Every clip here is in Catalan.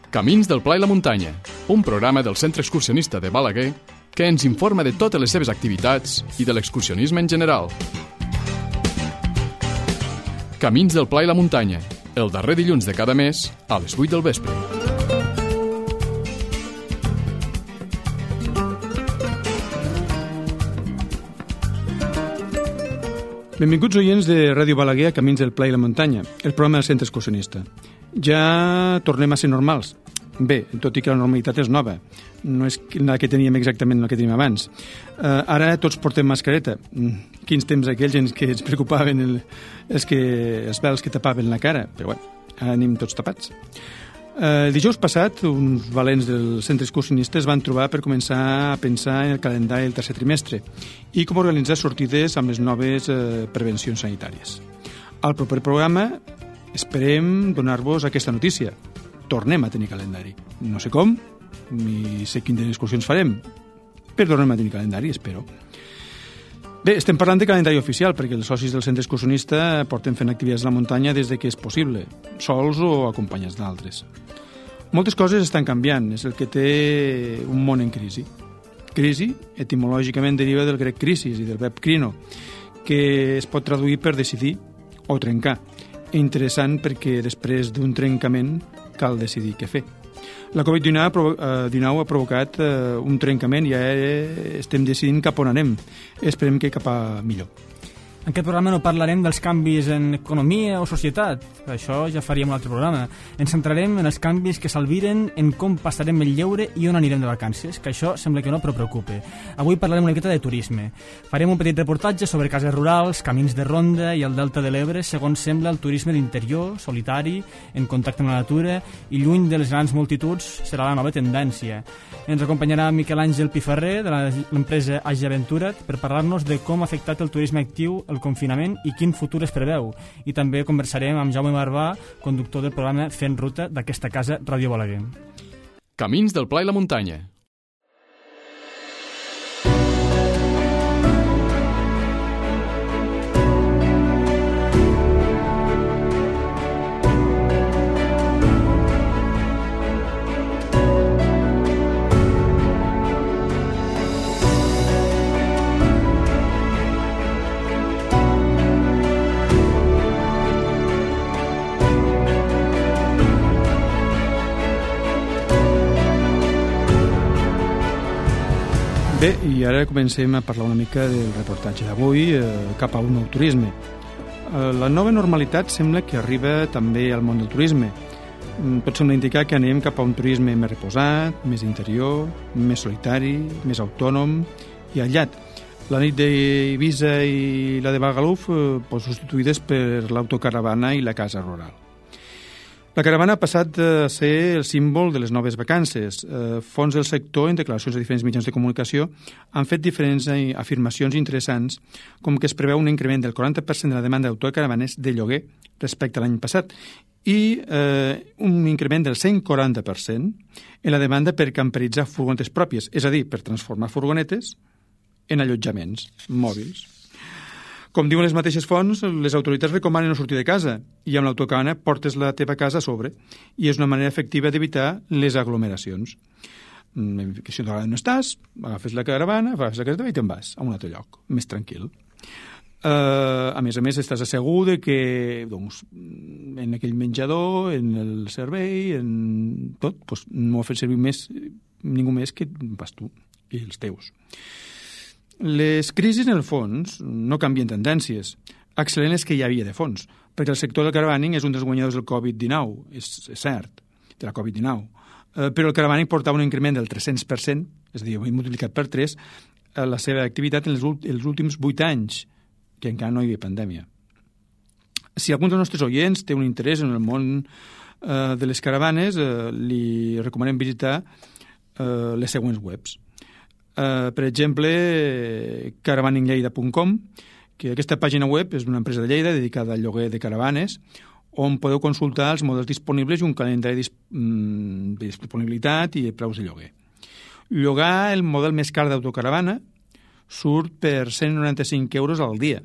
Camins del Pla i la Muntanya, un programa del Centre Excursionista de Balaguer que ens informa de totes les seves activitats i de l'excursionisme en general. Camins del Pla i la Muntanya, el darrer dilluns de cada mes a les 8 del vespre. Benvinguts oients de Ràdio Balaguer a Camins del Pla i la Muntanya, el programa del Centre Excursionista. Ja tornem a ser normals. Bé, tot i que la normalitat és nova. No és la que teníem exactament la que teníem abans. Ara tots portem mascareta. Quins temps aquells en què ens preocupaven els vels que tapaven la cara. Però bé, ara anem tots tapats. Dijous passat, uns valents del centre excursionista es van trobar per començar a pensar en el calendari del tercer trimestre i com organitzar sortides amb les noves prevencions sanitàries. Al proper programa esperem donar-vos aquesta notícia. Tornem a tenir calendari. No sé com, ni sé quines excursions farem, però tornem a tenir calendari, espero. Bé, estem parlant de calendari oficial, perquè els socis del centre excursionista porten fent activitats a la muntanya des de que és possible, sols o acompanyats d'altres. Moltes coses estan canviant, és el que té un món en crisi. Crisi, etimològicament, deriva del grec crisis i del verb crino, que es pot traduir per decidir o trencar. Interessant perquè després d'un trencament cal decidir què fer. La Covid-19 ha provocat un trencament i ja estem decidint cap on anem. Esperem que cap a millor. En aquest programa no parlarem dels canvis en economia o societat, això ja faríem un altre programa. Ens centrarem en els canvis que s'albiren, en com passarem el lleure i on anirem de vacances, que això sembla que no, però preocupa. Avui parlarem una miqueta de turisme. Farem un petit reportatge sobre cases rurals, camins de ronda i el delta de l'Ebre, segons sembla el turisme d'interior, solitari, en contacte amb la natura i lluny de les grans multituds serà la nova tendència. Ens acompanyarà Miquel Àngel Piferrer, de l'empresa Agi Aventura't, per parlar-nos de com ha afectat el turisme actiu el confinament i quin futur es preveu. I també conversarem amb Jaume Barbà, conductor del programa Fent Ruta d'aquesta casa Ràdio Balaguer. Camins del Pla i la Muntanya. Bé, i ara comencem a parlar una mica del reportatge d'avui cap a un nou turisme. La nova normalitat sembla que arriba també al món del turisme. Tot sembla indicar que anem cap a un turisme més reposat, més interior, més solitari, més autònom i aïllat. La nit d'Eivissa i la de Magaluf substituïdes per l'autocaravana i la casa rural. La caravana ha passat a ser el símbol de les noves vacances. Fons del sector, en declaracions de diferents mitjans de comunicació, han fet diferents afirmacions interessants, com que es preveu un increment del 40% de la demanda d'autocaravanes de lloguer respecte a l'any passat i un increment del 140% en la demanda per camperitzar furgonetes pròpies, és a dir, per transformar furgonetes en allotjaments mòbils. Com diuen les mateixes fonts, les autoritats recomanen no sortir de casa i amb l'autocaravana portes la teva casa a sobre i és una manera efectiva d'evitar les aglomeracions. Que si no estàs, agafes la caravana, agafes la casa teva i te'n vas a un altre lloc, més tranquil. A més, estàs assegut que en aquell menjador, en el servei, en tot, no ho ha fet servir ningú més que pas tu i els teus. Les crisis, en el fons, no canvien tendències. Excel·lent és que hi havia de fons, perquè el sector del caravaning és un dels guanyadors del Covid-19, és cert, de la Covid-19. Però el caravaning portava un increment del 300%, és a dir, hem multiplicat per 3, la seva activitat en els últims 8 anys, que encara no hi havia pandèmia. Si algun dels nostres oients té un interès en el món de les caravanes, li recomanem visitar les següents webs. Per exemple, caravaningleida.com, que aquesta pàgina web és d'una empresa de Lleida dedicada al lloguer de caravanes, on podeu consultar els models disponibles i un calendari de disponibilitat i preus de lloguer. Llogar el model més car d'autocaravana surt per 195 euros al dia,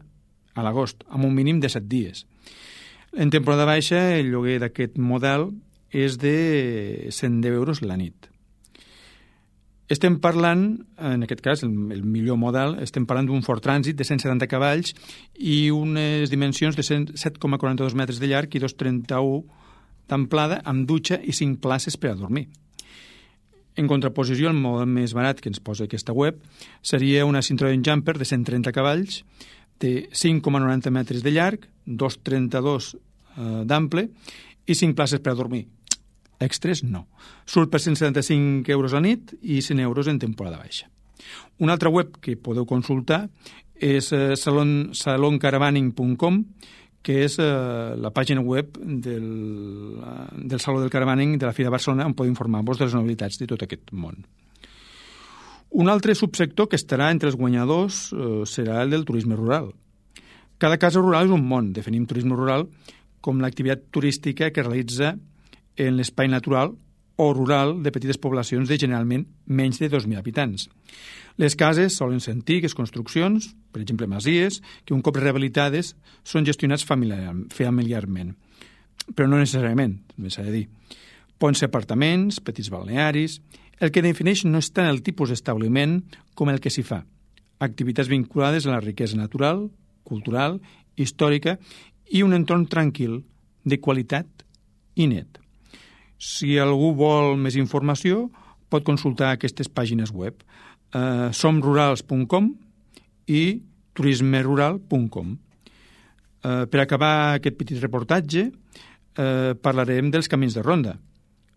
a l'agost, amb un mínim de 7 dies. En temporada baixa, el lloguer d'aquest model és de 110 euros la nit. Estem parlant, en aquest cas, el millor model, estem parlant d'un Ford Transit de 170 cavalls i unes dimensions de 7,42 metres de llarg i 2,31 d'amplada, amb dutxa i 5 places per a dormir. En contraposició, el model més barat que ens posa aquesta web seria una Citroën Jumper de 130 cavalls, de 5,90 metres de llarg, 2,32 d'ample i 5 places per a dormir. Extres, no. Surt per 175 euros a nit i 100 euros en temporada baixa. Una altra web que podeu consultar és saloncaravaning.com, que és la pàgina web del Saló del Caravaning de la Fira de Barcelona, on podeu informar-vos de les novetats de tot aquest món. Un altre subsector que estarà entre els guanyadors serà el del turisme rural. Cada casa rural és un món. Definim turisme rural com l'activitat turística que realitza en l'espai natural o rural de petites poblacions de generalment menys de 2.000 habitants. Les cases solen ser antigues construccions, per exemple masies, que un cop rehabilitades són gestionats familiarment. Però no necessàriament, també s'ha de dir. Poden ser apartaments, petits balnearis. El que defineix no és tant el tipus d'establiment com el que s'hi fa. Activitats vinculades a la riquesa natural, cultural, històrica i un entorn tranquil, de qualitat i net. Si algú vol més informació, pot consultar aquestes pàgines web, somrurals.com i turismerural.com. Per acabar aquest petit reportatge, parlarem dels camins de ronda.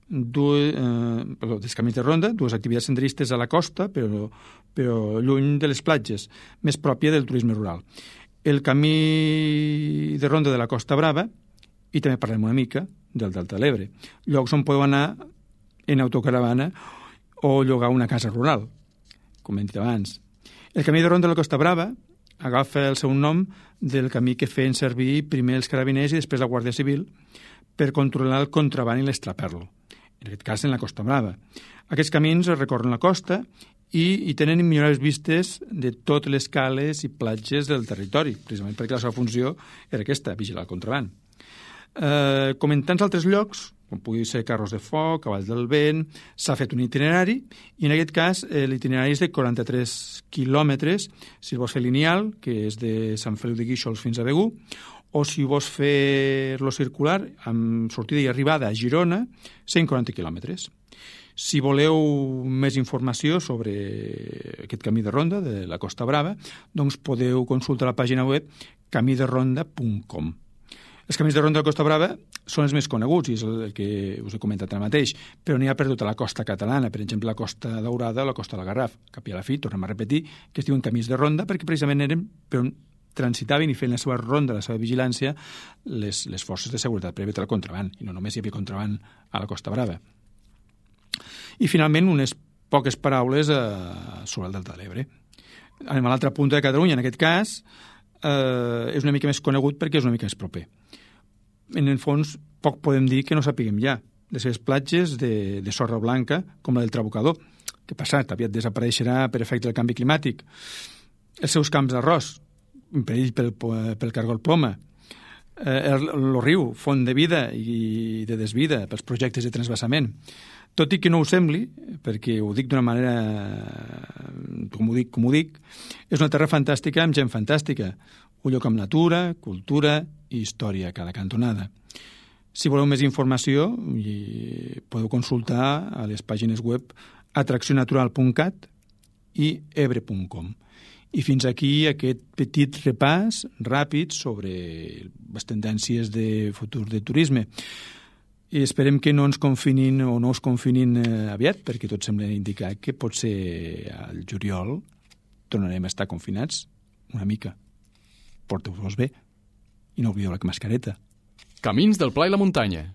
Dels camins de ronda, dues activitats senderistes a la costa, però lluny de les platges, més pròpia del turisme rural. El camí de ronda de la Costa Brava, i també parlem una mica del Delta de l'Ebre, llocs on podeu anar en autocaravana o llogar una casa rural, com hem dit abans. El camí de ronda de la Costa Brava agafa el seu nom del camí que feien servir primer els carabiners i després la Guàrdia Civil per controlar el contraban i l'estraperlo, en aquest cas en la Costa Brava. Aquests camins recorren la costa i tenen immemorables vistes de totes les cales i platges del territori, precisament perquè la seva funció era aquesta, vigilar el contraban. Com en tants altres llocs, com pugui ser Carros de Foc, Cavalls del Vent, s'ha fet un itinerari, i en aquest cas l'itinerari és de 43 quilòmetres, si vols fer lineal, que és de Sant Feliu de Guíxols fins a Begur, o si vols fer-lo circular, amb sortida i arribada a Girona, 140 quilòmetres. Si voleu més informació sobre aquest camí de ronda de la Costa Brava, doncs podeu consultar la pàgina web camideronda.com. Els camins de ronda de la Costa Brava són els més coneguts, i és el que us he comentat ara mateix, però n'hi ha per tota la costa catalana, per exemple, la Costa Daurada o la Costa del Garraf. Cap i a la fi, tornem a repetir, que es diuen camins de ronda perquè precisament eren per on transitaven i feien la seva ronda, la seva vigilància, les forces de seguretat per evitar el contraban, i no només hi havia contraban a la Costa Brava. I finalment, unes poques paraules sobre el Delta de l'Ebre. Anem a l'altra punta de Catalunya, en aquest cas, és una mica més conegut perquè és una mica més proper. En el fons, poc podem dir que no sapiguem ja. Les seves platges de sorra blanca, com la del Trabucador, que passat, aviat desapareixerà per efecte del canvi climàtic. Els seus camps d'arròs, en perill pel cargol ploma. El riu, font de vida i de desvida pels projectes de transvasament. Tot i que no ho sembli, perquè ho dic d'una manera, com ho dic, és una terra fantàstica amb gent fantàstica. Un lloc amb natura, cultura i història a cada cantonada. Si voleu més informació, podeu consultar a les pàgines web atraccionatural.cat i ebre.com. I fins aquí aquest petit repàs ràpid sobre les tendències de futur de turisme. I esperem que no ens confinin o no us confinin aviat, perquè tot sembla indicar que potser al juliol tornarem a estar confinats una mica. Porteu-vos bé i no oblideu la mascareta. Camins del Pla i la Muntanya.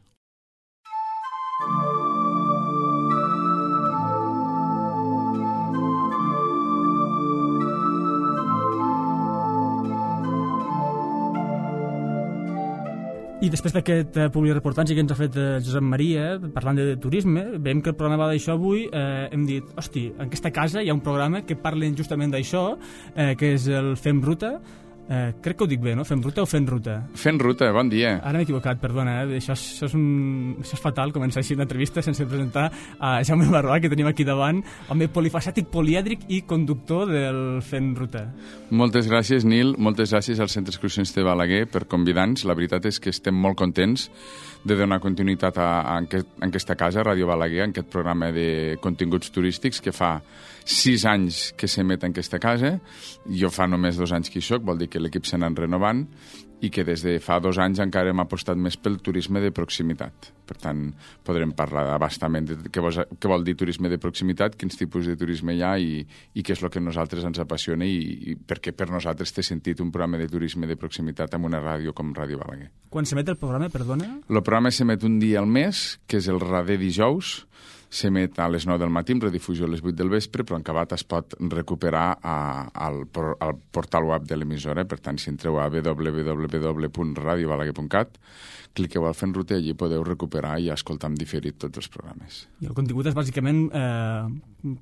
I després d'aquest publireportatge que ens ha fet Josep Maria, parlant de turisme, veiem que el programa va d'això avui, hem dit, hosti, en aquesta casa hi ha un programa que parla justament d'això, que és el Fem Ruta, Crec que ho dic bé, no? Fem ruta o fent ruta? Fent ruta, bon dia. Ara m'he equivocat, perdona, això és fatal, començar així una entrevista sense presentar a Jaume Barroà, que tenim aquí davant, home polifacètic, polièdric i conductor del Fent Ruta. Moltes gràcies, Nil, moltes gràcies al Centre Excursionista de Balaguer per convidar-nos. La veritat és que estem molt contents de donar continuïtat a aquesta casa, Ràdio Balaguer, en aquest programa de continguts turístics que fa 6 anys que s'emet en aquesta casa. Jo fa només 2 anys que hi soc, vol dir que l'equip s'ha anat renovant i que des de fa 2 anys encara hem apostat més pel turisme de proximitat. Per tant, podrem parlar abastament de què vol dir turisme de proximitat, quins tipus de turisme hi ha i què és el que a nosaltres ens apassiona i perquè per nosaltres té sentit un programa de turisme de proximitat amb una ràdio com Ràdio Balaguer. Quan s'emet el programa, perdona? El programa s'emet un dia al mes, que és el darrer dijous. S'emet a les 9 del matí, amb redifusió a les 8 del vespre, però en acabat es pot recuperar al portal web de l'emissora. Per tant, si entreu a www.radiobalaguer.cat, cliqueu al Fent Ruta i allí podeu recuperar i escoltar en diferit tots els programes. I el contingut és bàsicament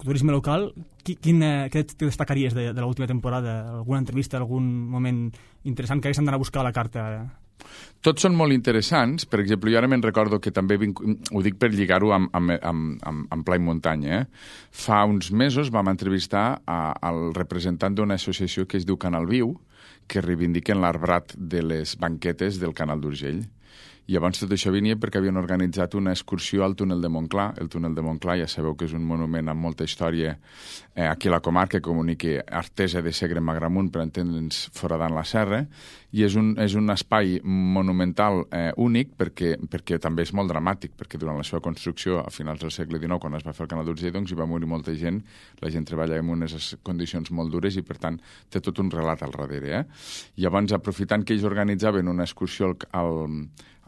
turisme local. Què destacaries de l'última temporada? Alguna entrevista, algun moment interessant que haguessin d'anar a buscar a la carta? Tots són molt interessants. Per exemple, jo ara me'n recordo que també ho dic per lligar-ho amb pla i muntanya. Fa uns mesos vam entrevistar al representant d'una associació que es diu Canal Viu, que reivindiquen l'arbrat de les banquetes del Canal d'Urgell. I llavors tot això venia perquè havien organitzat una excursió al túnel de Montclar. El túnel de Montclar ja sabeu que és un monument amb molta història aquí a la comarca, que comunica Artesa de Segre amb Agramunt, per entendre'ns foradant la serra, i és un espai monumental únic perquè també és molt dramàtic, perquè durant la seva construcció a finals del segle XIX, quan es va fer el Canal d'Urgell, doncs hi va morir molta gent, la gent treballa en unes condicions molt dures i per tant té tot un relat al darrere. Llavors, aprofitant que ells organitzaven una excursió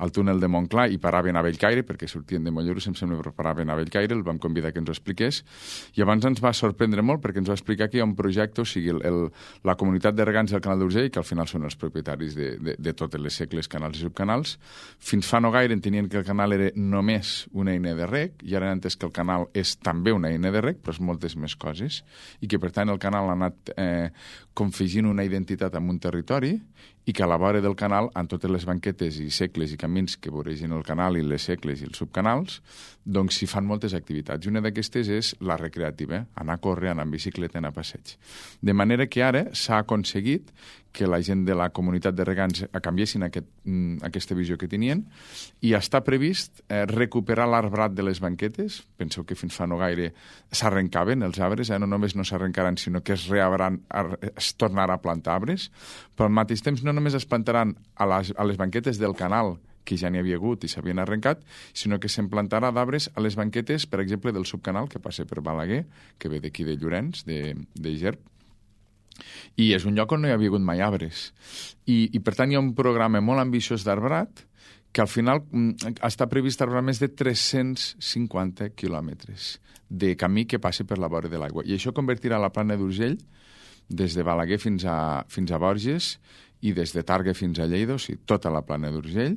al túnel de Montclar i paraven a Bellcaire, perquè sortien de Mollerussa, em sembla que paraven a Bellcaire, el vam convidar que ens ho expliqués, i abans ens va sorprendre molt perquè ens va explicar que hi ha un projecte, o sigui, la comunitat de regants del Canal d'Urgell, que al final són els propietaris de totes les segles, canals i subcanals. Fins fa no gaire entenien que el canal era només una eina de reg, i ara han entès que el canal és també una eina de reg, però és moltes més coses, i que per tant el canal ha anat confegint una identitat en un territori, i que a la vora del canal, en totes les banquetes i segles i camins que voregen el canal i les segles i els subcanals, doncs s'hi fan moltes activitats. I una d'aquestes és la recreativa, anar a córrer, anar en bicicleta, anar a passeig. De manera que ara s'ha aconseguit que la gent de la comunitat de regants canviessin aquesta visió que tenien, i està previst recuperar l'arbrat de les banquetes. Penseu que fins fa no gaire s'arrencaven els arbres, no només no s'arrencaran, sinó que es tornarà a plantar arbres, però al mateix temps no només es plantaran a les banquetes del canal, que ja n'hi havia hagut i s'havien arrencat, sinó que se'n plantarà d'arbres a les banquetes, per exemple, del subcanal, que passa per Balaguer, que ve d'aquí de Llorenç, de Gerb, i és un lloc on no hi havia hagut mai arbres. I per tant hi ha un programa molt ambiciós d'arbrat que al final està previst arbrar més de 350 quilòmetres de camí que passi per la vora de l'aigua. I això convertirà la plana d'Urgell des de Balaguer fins a Borges i des de Targa fins a Lleida, o sigui, tota la plana d'Urgell,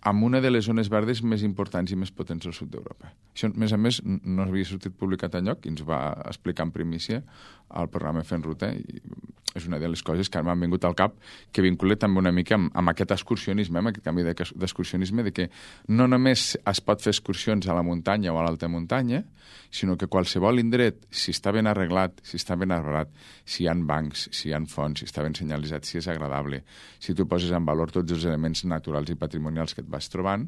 amb una de les zones verdes més importants i més potents del sud d'Europa. Això, a més, no havia sortit publicat enlloc i ens va explicar en primícia al programa Fent Ruta, i és una de les coses que m'han vingut al cap, que vincula també una mica amb aquest excursionisme, amb aquest canvi d'excursionisme, de que no només es pot fer excursions a la muntanya o a l'alta muntanya, sinó que qualsevol indret, si està ben arreglat, si està ben arbrat, si hi ha bancs, si hi ha fonts, si està ben senyalitzat, si és agradable, si tu poses en valor tots els elements naturals i patrimonials que et vas trobant,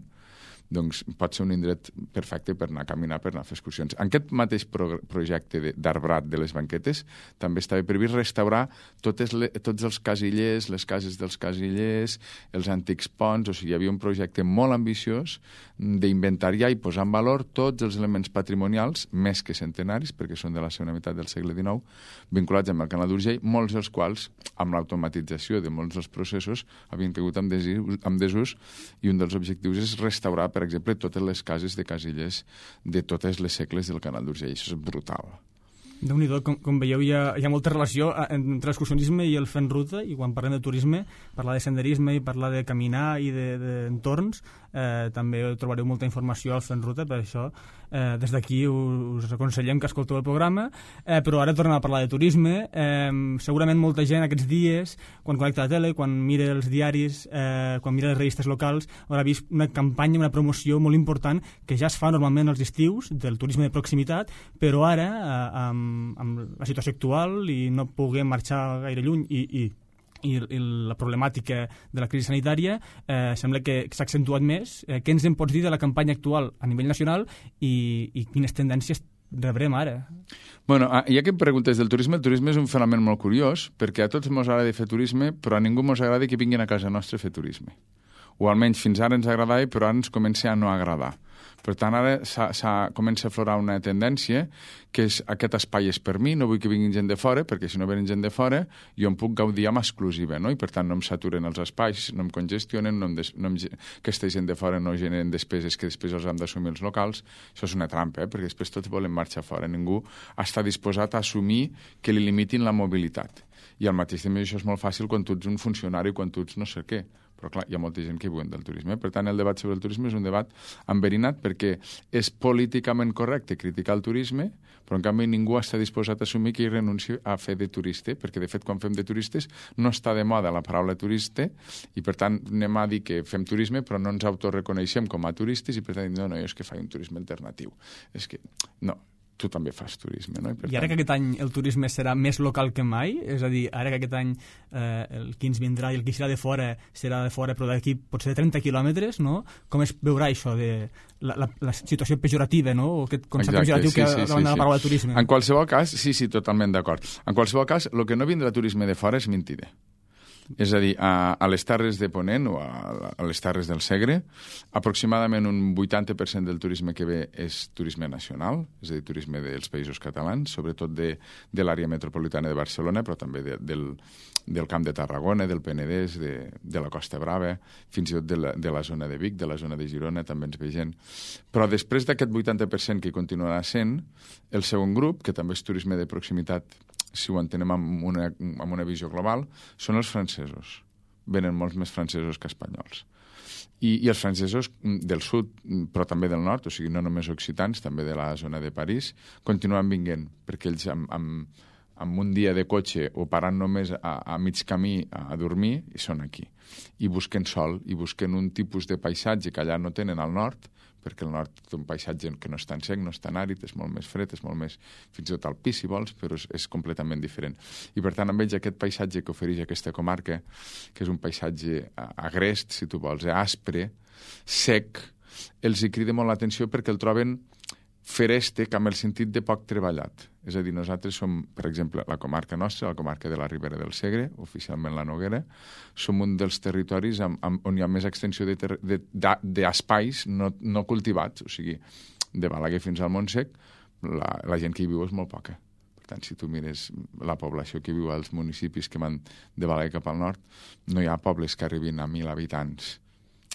doncs pot ser un indret perfecte per anar a caminar, per anar a fer excursions. En aquest mateix projecte d'arbrat de les banquetes també estava previst restaurar tots els casillers, les cases dels casillers, els antics ponts, o sigui, hi havia un projecte molt ambiciós d'inventariar i posar en valor tots els elements patrimonials, més que centenaris, perquè són de la segona meitat del segle XIX, vinculats amb el Canal d'Urgell, molts dels quals, amb l'automatització de molts dels processos, havien caigut en desús, i un dels objectius és restaurar, per exemple, totes les cases de casillers de totes les segles del Canal d'Urgell. Això és brutal. Déu-n'hi-do, com veieu, hi ha molta relació entre l'excursionisme i el fent ruta, i quan parlem de turisme, parlar de senderisme i parlar de caminar i d'entorns, també trobareu molta informació al fent ruta, per això des d'aquí us aconsellem que escolteu el programa, però ara tornem a parlar de turisme. Segurament molta gent aquests dies, quan connecta la tele, quan mira els diaris, quan mira les revistes locals, haurà vist una campanya, una promoció molt important que ja es fa normalment als estius del turisme de proximitat, però ara amb la situació actual i no puguem marxar gaire lluny i la problemàtica de la crisi sanitària sembla que s'ha accentuat més. Què ens en pots dir de la campanya actual a nivell nacional i quines tendències rebrem ara? Bueno, ja que em preguntes del turisme, el turisme és un fenomen molt curiós, perquè a tots ens agrada fer turisme, però a ningú ens agrada que vinguin a casa nostra a fer turisme. O almenys fins ara ens agradava, però ara ens comença a no agradar. Per tant, ara comença a aflorar una tendència que és aquest espai és per mi, no vull que vinguin gent de fora, perquè si no venen gent de fora jo em puc gaudir amb exclusiva, no? I per tant no em saturen els espais, no em congestionen, aquesta gent de fora no generen despeses que després els han d'assumir els locals. Això és una trampa, perquè després tots volen marxar fora. Ningú està disposat a assumir que li limitin la mobilitat. I al mateix temps això és molt fàcil quan tu ets un funcionari, quan tu ets no sé què. Però clar, hi ha molta gent que viuen del turisme. Per tant, el debat sobre el turisme és un debat enverinat perquè és políticament correcte criticar el turisme, però en canvi ningú està disposat a assumir que hi renunci a fer de turista, perquè de fet quan fem de turistes no està de moda la paraula turista i per tant anem a dir que fem turisme però no ens autoreconeixem com a turistes i per tant no, jo és que faig un turisme alternatiu. És que no, tu també fas turisme, no? I ara que aquest any el turisme serà més local que mai, és a dir, ara que aquest any el qui ens vindrà i el qui serà de fora però d'aquí potser de 30 quilòmetres, no? Com es veurà això de la situació pejorativa, no? O aquest concepte pejoratiu que davant de la paraula turisme? En qualsevol cas, sí, totalment d'acord. En qualsevol cas, el que no vindrà turisme de fora és mentida. És a dir, a les Terres de Ponent o a les Terres del Segre, aproximadament un 80% del turisme que ve és turisme nacional, és a dir, turisme dels països catalans, sobretot de l'àrea metropolitana de Barcelona, però també del Camp de Tarragona, del Penedès, de la Costa Brava, fins i tot de la zona de Vic, de la zona de Girona, també ens ve gent. Però després d'aquest 80% que continuarà sent, el segon grup, que també és turisme de proximitat, si ho entenem amb una visió global, són els francesos. Venen molts més francesos que espanyols. I els francesos del sud, però també del nord, o sigui, no només occitans, també de la zona de París, continuen vinguent, perquè ells amb un dia de cotxe o parant només a mig camí a dormir, i són aquí. I busquen sol, i busquen un tipus de paisatge que allà no tenen al nord, perquè el nord té un paisatge que no és tan sec, no és tan àrid, és molt més fred, és molt més, fins i tot alpí, si vols, però és completament diferent. I per tant, amb ells aquest paisatge que ofereix aquesta comarca, que és un paisatge agrest, si tu vols, aspre, sec, els hi crida molt l'atenció perquè el troben ferèstec amb el sentit de poc treballat. És a dir, nosaltres som, per exemple, la comarca nostra, la comarca de la Ribera del Segre, oficialment la Noguera, som un dels territoris on hi ha més extensió d'espais no cultivats, o sigui, de Balaguer fins al Montsec, la gent que hi viu és molt poca. Per tant, si tu mires la població que viu als municipis que van de Balaguer cap al nord, no hi ha pobles que arribin a 1.000 habitants.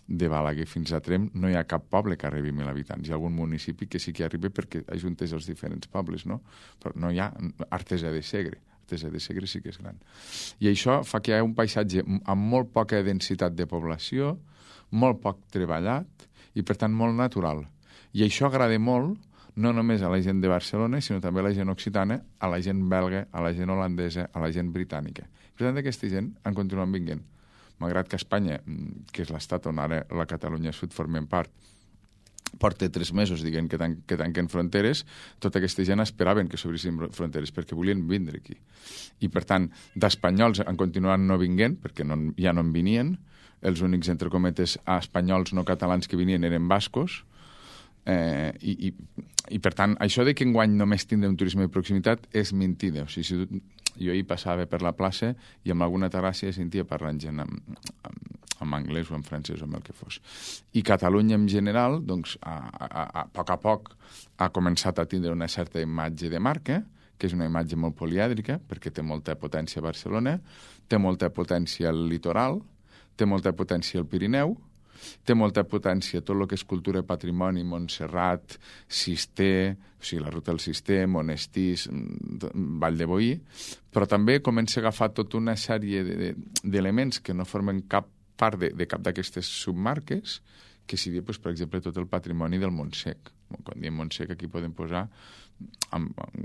De Balaguer fins a Tremp no hi ha cap poble que arribi a 1.000 habitants. Hi ha algun municipi que sí que arriba perquè ajuntes els diferents pobles, no? Però no hi ha Artesa de Segre. Artesa de Segre sí que és gran. I això fa que hi ha un paisatge amb molt poca densitat de població, molt poc treballat i, per tant, molt natural. I això agrada molt no només a la gent de Barcelona, sinó també a la gent occitana, a la gent belga, a la gent holandesa, a la gent britànica. Per tant, aquesta gent en continuen vinguent. Malgrat que Espanya, que és l'estat on ara la Catalunya Sud formem part, porta 3 mesos dient que tanquen fronteres, tota aquesta gent esperaven que s'obrissin fronteres perquè volien vindre aquí. I, per tant, d'espanyols han continuat no vinguent, perquè ja no en venien, els únics, entre cometes, espanyols no catalans que venien eren bascos, i per tant, això de que enguany només tindrem turisme de proximitat és mentida. O sigui, jo ahir passava per la plaça i amb alguna terrassa sentia parlant gent en anglès o en francès o amb el que fos. I Catalunya en general, doncs, a poc ha començat a tindre una certa imatge de marca, que és una imatge molt polièdrica, perquè té molta potència a Barcelona, té molta potència al litoral, té molta potència al Pirineu, té molta potència tot el que és cultura i patrimoni, Montserrat, Cister, o sigui, la ruta del Cister, Monestís, Vall de Boí, però també comença a agafar tota una sèrie d'elements que no formen cap part de cap d'aquestes submarques, que sigui, doncs, per exemple, tot el patrimoni del Montsec. Quan diem Montsec, aquí podem posar,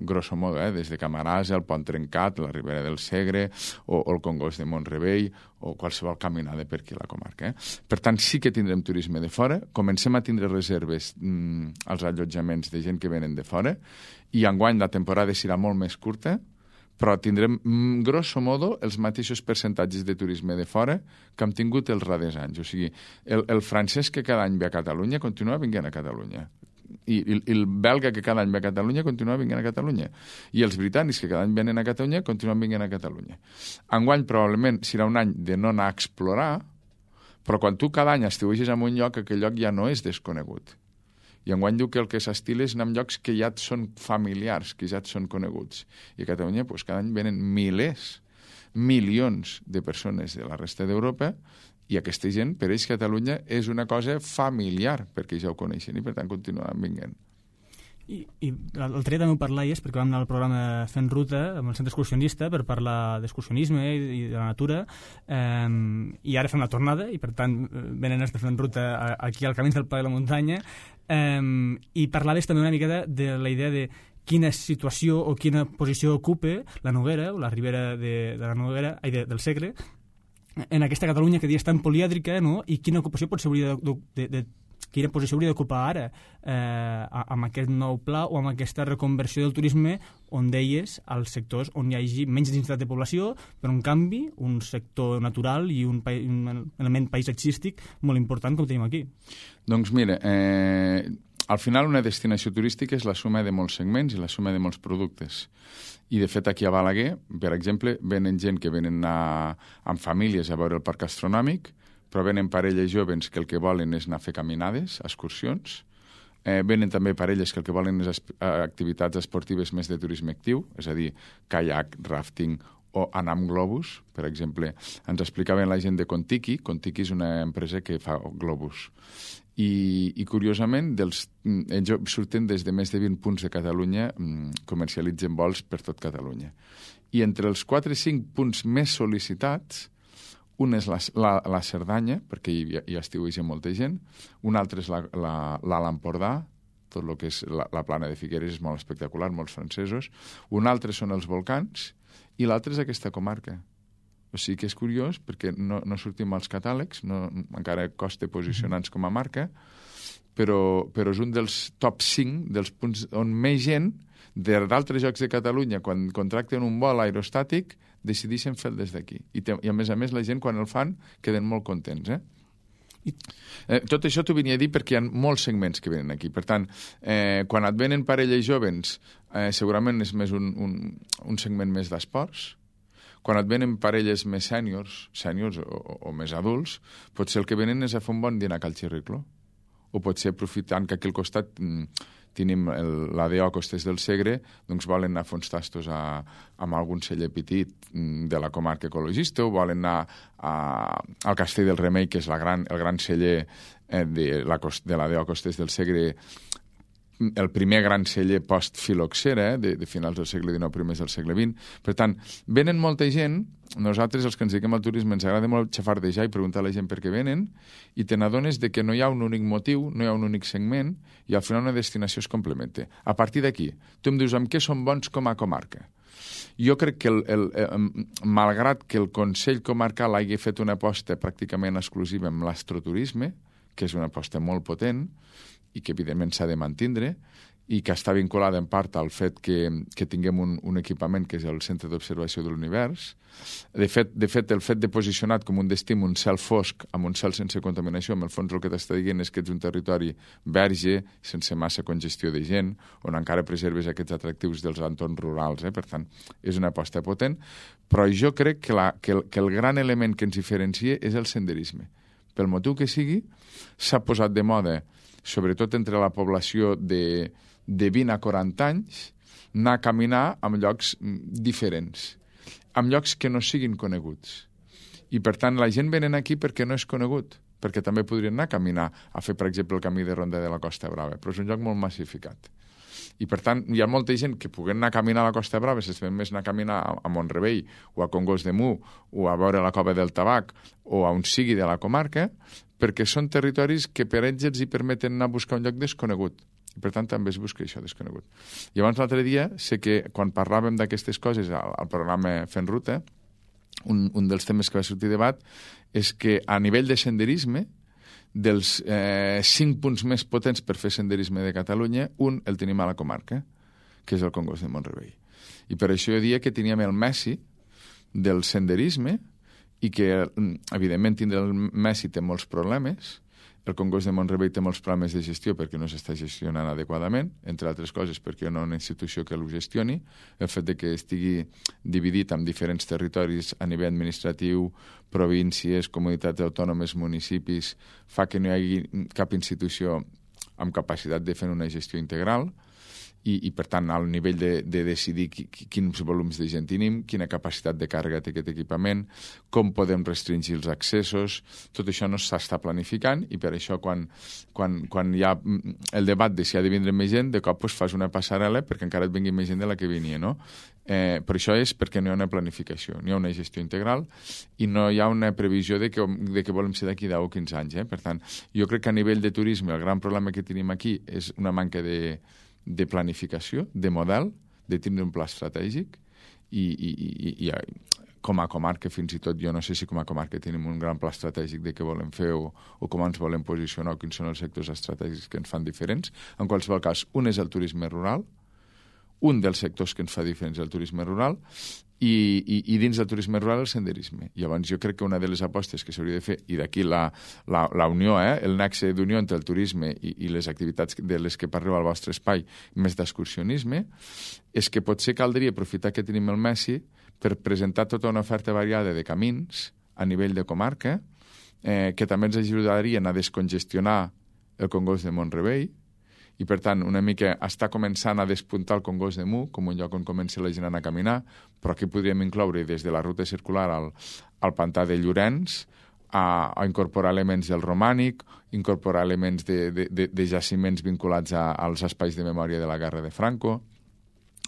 grosso modo, des de Camarasa, el Pont Trencat, la Ribera del Segre, o el Congost de Mont-rebei, o qualsevol caminada per aquí a la comarca. Per tant, sí que tindrem turisme de fora, comencem a tindre reserves als allotjaments de gent que venen de fora, i enguany la temporada serà molt més curta, però tindrem, grosso modo, els mateixos percentatges de turisme de fora que hem tingut els darrers anys. O sigui, el francès que cada any ve a Catalunya continua vinguent a Catalunya. I el belga que cada any ve a Catalunya continua vinguent a Catalunya. I els britànics que cada any venen a Catalunya continuen vinguent a Catalunya. Enguany probablement serà un any de no anar a explorar, però quan tu cada any estiueges en un lloc, aquell lloc ja no és desconegut. I enguany diu que el que s'estila és anar en llocs que ja et són familiars, que ja et són coneguts. I a Catalunya doncs, cada any venen milers, milions de persones de la resta d'Europa, i aquesta gent, per ells, Catalunya és una cosa familiar, perquè ja ho coneixen i per tant continuen vinguent. I l'altre dia també ho parlaies, perquè vam anar al programa Fent Ruta amb el centre excursionista per parlar d'excursionisme i de la natura, i ara fem la tornada, i per tant venen els de Fent Ruta aquí al Camins del Pla de la Muntanya, i parlaves també una mica de la idea de quina situació o quina posició ocupa la Noguera, o la Ribera de la Noguera, del Segre, en aquesta Catalunya que dia és tan polièdrica, no? I quina ocupació potser hauria quina posició hauria d'ocupar ara amb aquest nou pla o amb aquesta reconversió del turisme on deies als sectors on hi hagi menys densitat de població, però en canvi un sector natural i un element paisatgístic molt important com tenim aquí. Doncs mira, al final una destinació turística és la suma de molts segments i la suma de molts productes. I de fet aquí a Balaguer, per exemple, venen gent que venen amb famílies a veure el parc astronòmic, però venen parelles joves que el que volen és anar a fer caminades, excursions. Venen també parelles que el que volen és activitats esportives més de turisme actiu, és a dir, caiac, rafting o anar amb globus. Per exemple, ens explicaven la gent de Contiki. Contiki és una empresa que fa globus. I curiosament, ells surten des de més de 20 punts de Catalunya, comercialitzen vols per tot Catalunya. I entre els 4 o 5 punts més sol·licitats, un és la Cerdanya, perquè hi estiueja molta gent, un altre és l'Alt Empordà, tot el que és la plana de Figueres és molt espectacular, molts francesos, un altre són els volcans, i l'altre és aquesta comarca. O sigui que és curiós, perquè no sortim als catàlegs, encara costa posicionar-nos com a marca, però és un dels top 5 dels punts on més gent d'altres llocs de Catalunya, quan contracten un vol aerostàtic, decideixen fer-lo des d'aquí. I a més, la gent, quan el fan, queden molt contents, Tot això t'ho venia a dir perquè hi ha molts segments que venen aquí. Per tant, quan et venen parelles joves, segurament és més un segment més d'esports. Quan et venen parelles més sèniors o més adults, potser el que venen és a fer un bon dinar a Cal Xirriclo. O potser aprofitant que aquí al costat tenim l'ADO Costes del Segre, doncs volen anar a fer uns tastos amb algun celler petit de la comarca ecologista, o volen anar al Castell del Remei, que és el gran celler de l'ADO Costes del Segre, el primer gran celler post-filoxera, de finals del segle XIX, primers del segle XX. Per tant, venen molta gent. Nosaltres, els que ens dediquem al turisme, ens agrada molt xafardejar i preguntar a la gent per què venen, i te n'adones que no hi ha un únic motiu, no hi ha un únic segment, i al final una destinació es complementa. A partir d'aquí, tu em dius amb què són bons com a comarca. Jo crec que, malgrat que el Consell Comarcal hagi fet una aposta pràcticament exclusiva amb l'astroturisme, que és una aposta molt potent, i que evidentment s'ha de mantindre, i que està vinculada en part al fet que tinguem un equipament que és el Centre d'Observació de l'Univers. De fet, el fet de posicionar com un destí un cel fosc amb un cel sense contaminació, en el fons el que t'està dient és que ets un territori verge, sense massa congestió de gent, on encara preserves aquests atractius dels entorns rurals. Per tant, és una aposta potent, però jo crec que el gran element que ens diferencia és el senderisme. Pel motiu que sigui, s'ha posat de moda, sobretot entre la població de 20 a 40 anys, anar a caminar en llocs diferents, en llocs que no siguin coneguts. I, per tant, la gent venen aquí perquè no és conegut. perquè també podrien anar a caminar, a fer, per exemple, el camí de ronda de la Costa Brava, però és un lloc molt massificat. I, per tant, hi ha molta gent que puguen anar a caminar a la Costa Brava, s'estem més anar a caminar a Mont-rebei o a Congost de Mu o a veure la Cova del Tabac o a on sigui de la comarca, perquè són territoris que per ells els hi permeten anar a buscar un lloc desconegut. I, per tant, també es busca això desconegut. I abans, l'altre dia, sé que quan parlàvem d'aquestes coses al programa Fent Ruta, un dels temes que va sortir a debat és que a nivell de senderisme, dels 5 punts més potents per fer senderisme de Catalunya, un el tenim a la comarca, que és el Congost de Mont-rebei. I per això jo diria que teníem el Messi del senderisme i que, evidentment, tindre el Messi té molts problemes. El Congost de Mont-rebei té molts problemes de gestió perquè no s'està gestionant adequadament, entre altres coses perquè no hi ha una institució que ho gestioni. El fet de que estigui dividit en diferents territoris a nivell administratiu, províncies, comunitats autònomes, municipis, fa que no hi hagi cap institució amb capacitat de fer una gestió integral i per tant, al nivell de decidir quins volums de gent tenim, quina capacitat de càrrega té aquest equipament, com podem restringir els accessos, tot això no s'està planificant i per això quan hi ha el debat de si ha de vindre més gent, de cop fas una passarel·la perquè encara et vingui més gent de la que venia, no? Per això és perquè no hi ha una planificació, no hi ha una gestió integral i no hi ha una previsió de que volem ser d'aquí 10 o 15 anys. Per tant, jo crec que a nivell de turisme el gran problema que tenim aquí és una manca de planificació, de model, de tindre un pla estratègic i com a comarca, fins i tot, jo no sé si com a comarca tenim un gran pla estratègic de què volem fer o com ens volem posicionar o quins són els sectors estratègics que ens fan diferents. En qualsevol cas, un és el turisme rural, un dels sectors que ens fa diferents és el turisme rural i dins del turisme rural el senderisme. Llavors jo crec que una de les apostes que s'hauria de fer, i d'aquí la unió, el nexe d'unió entre el turisme i les activitats de les que parleu al vostre espai, més d'excursionisme, és que potser caldria aprofitar que tenim el Messi per presentar tota una oferta variada de camins a nivell de comarca, que també ens ajudarien a descongestionar el Congost de Mont-rebei, i, per tant, una mica està començant a despuntar el Congost de Mu com un lloc on comença la gent a anar a caminar, però aquí podríem incloure des de la ruta circular al pantà de Llorenç, a incorporar elements del romànic, incorporar elements de jaciments vinculats als espais de memòria de la guerra de Franco,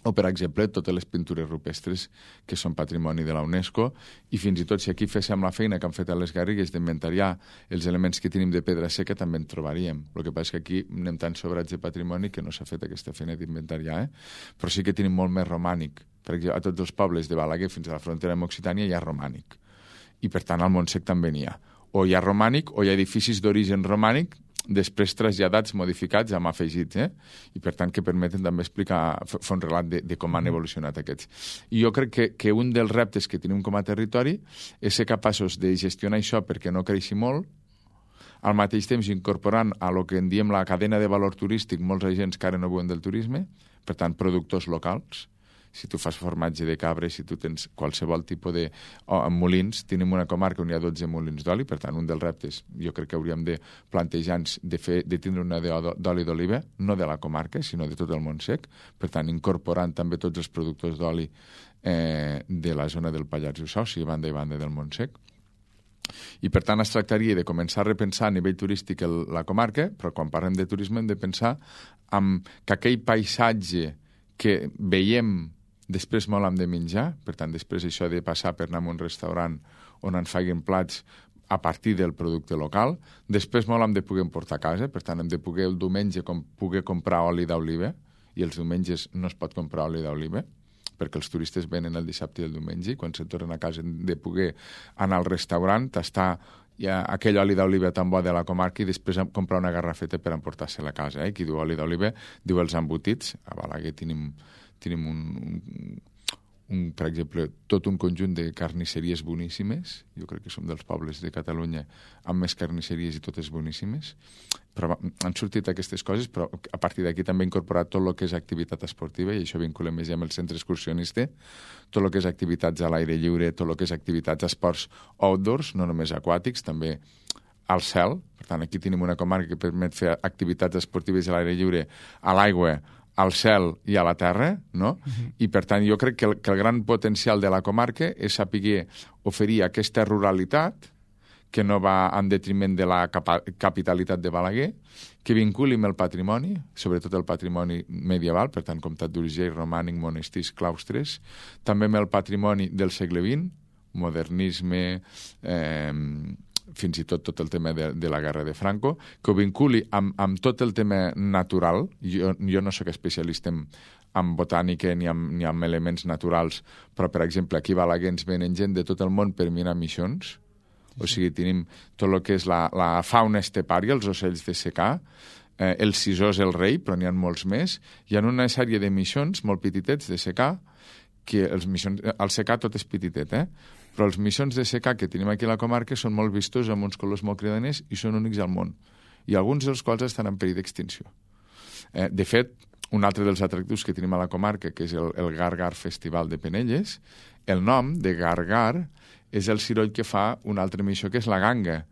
o, per exemple, totes les pintures rupestres que són patrimoni de la UNESCO, i fins i tot si aquí féssim la feina que han fet a les Garrigues d'inventariar els elements que tenim de pedra seca, també en trobaríem. El que passa és que aquí anem tan sobrats de patrimoni que no s'ha fet aquesta feina d'inventariar, però sí que tenim molt més romànic. Per exemple, a tots els pobles de Balaguer fins a la frontera amb Occitània hi ha romànic, i per tant al Montsec també n'hi ha. O hi ha romànic o hi ha edificis d'origen romànic després traslladats, modificats, amb afegits, i per tant que permeten també explicar, fer un relat de com han evolucionat aquests. I jo crec que un dels reptes que tenim com a territori és ser capaços de gestionar això perquè no creixi molt, al mateix temps incorporant a lo que en diem la cadena de valor turístic molts agents que ara no viuen del turisme, per tant productors locals. Si tu fas formatge de cabra, si tu tens qualsevol tipus de molins, tenim una comarca on hi ha 12 molins d'oli, per tant, un dels reptes jo crec que hauríem de plantejar-nos de tindre una d'oli d'oliva, no de la comarca, sinó de tot el Montsec, per tant, incorporant també tots els productors d'oli de la zona del Pallars Jussà, o sigui, banda i banda del Montsec. I, per tant, es tractaria de començar a repensar a nivell turístic la comarca, però quan parlem de turisme hem de pensar que aquell paisatge que veiem després molt hem de menjar, per tant, després això de passar per anar a un restaurant on ens facin plats a partir del producte local, després molt hem de poder portar a casa, per tant, hem de poder el diumenge poder comprar oli d'oliva, i els diumenges no es pot comprar oli d'oliva, perquè els turistes venen el dissabte i el diumenge, i quan se tornen a casa hem de poder anar al restaurant, tastar aquell oli d'oliva tan bo de la comarca i després comprar una garrafeta per emportar-se-la a casa. Qui diu oli d'oliva diu els embotits. A Balaguer tenim per exemple, tot un conjunt de carnisseries boníssimes. Jo crec que som dels pobles de Catalunya amb més carnisseries i totes boníssimes. Però han sortit aquestes coses, però a partir d'aquí també he incorporat tot el que és activitat esportiva, i això vincula més amb el centre excursionista, tot el que és activitats a l'aire lliure, tot el que és activitats esports outdoors, no només aquàtics, també al cel. Per tant, aquí tenim una comarca que permet fer activitats esportives a l'aire lliure, a l'aigua, al cel i a la terra, no? I, per tant, jo crec que el gran potencial de la comarca és saber oferir aquesta ruralitat que no va en detriment de la capitalitat de Balaguer, que vinculi amb el patrimoni, sobretot el patrimoni medieval, per tant, comtat d'Urgell, romànic, monestirs, claustres, també amb el patrimoni del segle XX, modernisme, fins i tot el tema de la guerra de Franco, que ho vinculi amb tot el tema natural. Jo no sóc especialista en botànica ni en elements naturals, però, per exemple, aquí a Balaguer ens venen gent de tot el món per mirar missions. O sigui, tenim tot el que és la fauna estepària, els ocells de secà, el sisó és el rei, però n'hi ha molts més. Hi ha una sèrie de missions molt petitets de secà, que el secà tot és petitet, però els missions de secà que tenim aquí a la comarca són molt vistos, amb uns colors molt cridaners, i són únics al món. I alguns dels quals estan en perill d'extinció. De fet, un altre dels atractius que tenim a la comarca, que és el Gargar Festival de Penelles, el nom de Gargar és el ciroll que fa una altra missió, que és la ganga.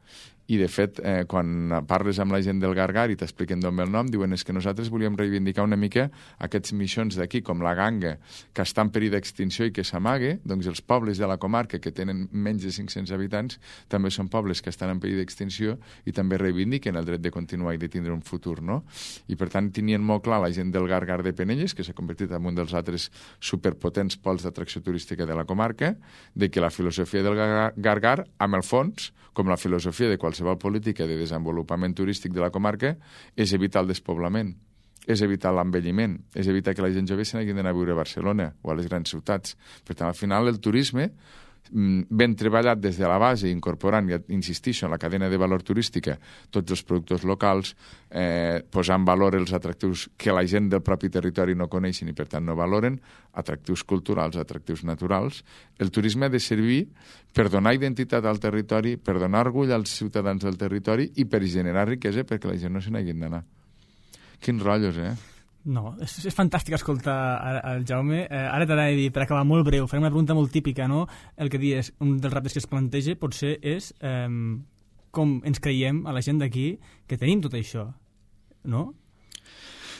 I, de fet, quan parles amb la gent del Gargar i t'expliquen d'on ve el nom, diuen és que nosaltres volíem reivindicar una mica aquests missions d'aquí, com la ganga, que està en perill d'extinció i que s'amague. Doncs els pobles de la comarca, que tenen menys de 500 habitants, també són pobles que estan en perill d'extinció i també reivindiquen el dret de continuar i de tindre un futur, no? I, per tant, tenien molt clar la gent del Gargar de Penelles, que s'ha convertit en un dels altres superpotents pols d'atracció turística de la comarca, de que la filosofia del Gargar, amb el fons, com la filosofia de qualsevol política de desenvolupament turístic de la comarca, és evitar el despoblament, és evitar l'envelliment, és evitar que la gent jove se n'hagi d'anar a viure a Barcelona o a les grans ciutats. Per tant, al final, el turisme, ben treballat des de la base, incorporant, ja insistixo, en la cadena de valor turística, tots els productors locals, posar en valor els atractius que la gent del propi territori no coneixen i, per tant, no valoren, atractius culturals, atractius naturals. El turisme ha de servir per donar identitat al territori, per donar orgull als ciutadans del territori i per generar riquesa perquè la gent no se n'hagin d'anar. Quins rotllos, No, és fantàstic escoltar el Jaume. Ara t'anava a dir, per acabar molt breu, farem una pregunta molt típica, no? El que dius, un dels reptes que es planteja potser és com ens creiem a la gent d'aquí que tenim tot això, no?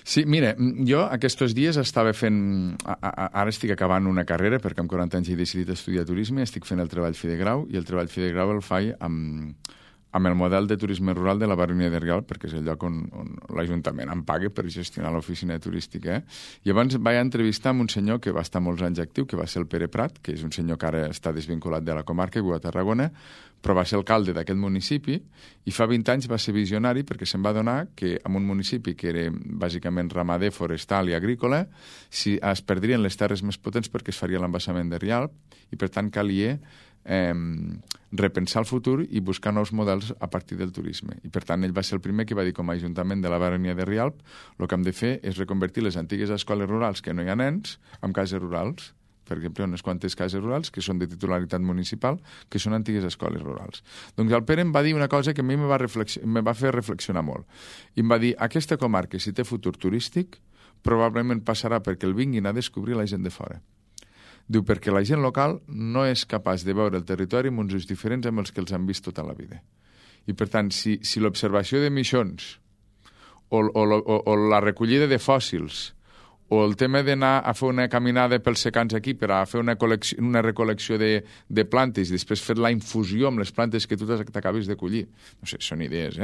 Sí, mira, jo aquests dies estava fent... Ara estic acabant una carrera, perquè amb 40 anys he decidit estudiar turisme, estic fent el treball fi de grau, i el treball fi de grau el faig amb el model de turisme rural de la Baronia de Rialb, perquè és el lloc on l'Ajuntament em paga per gestionar l'oficina turística. I llavors vaig entrevistar amb un senyor que va estar molts anys actiu, que va ser el Pere Prat, que és un senyor que ara està desvinculat de la comarca i viu a Tarragona, però va ser alcalde d'aquest municipi i fa 20 anys va ser visionari perquè se'n va adonar que en un municipi que era bàsicament ramader, forestal i agrícola, si es perdrien les terres més potents perquè es faria l'embassament de Rialb i per tant calia repensar el futur i buscar nous models a partir del turisme. I per tant ell va ser el primer que va dir com a Ajuntament de la Baronia de Rialb el que hem de fer és reconvertir les antigues escoles rurals que no hi ha nens en cases rurals. Per exemple, unes quantes cases rurals que són de titularitat municipal, que són antigues escoles rurals. Doncs el Pere em va dir una cosa que a mi me va fer reflexionar molt. I em va dir, aquesta comarca, si té futur turístic, probablement passarà perquè el vinguin a descobrir la gent de fora. Diu, perquè la gent local no és capaç de veure el territori amb uns ulls diferents amb els que els han vist tota la vida. I, per tant, si l'observació de missions o la recollida de fòssils o el tema d'anar a fer una caminada pels secans aquí per a fer una recol·lecció de plantes i després fer la infusió amb les plantes que tu t'acabes de collir. No sé, són idees,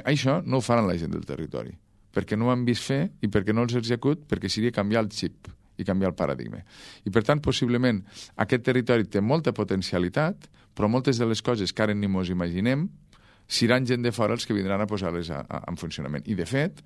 Això no ho faran la gent del territori, perquè no ho han vist fer i perquè no els execut, perquè seria canviar el xip i canviar el paradigma. I, per tant, possiblement, aquest territori té molta potencialitat, però moltes de les coses que ara ni mos imaginem seran gent de fora els que vindran a posar-les en funcionament. I, de fet,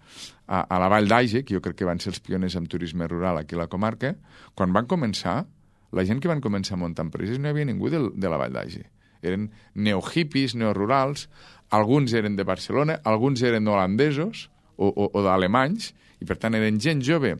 a la Vall d'Aige, que jo crec que van ser els pioners en turisme rural aquí a la comarca, quan van començar, la gent que van començar a muntar empreses no hi havia ningú de la Vall d'Aige. Eren neohippies, neorurals, alguns eren de Barcelona, alguns eren holandesos o d'alemanys, i, per tant, eren gent jove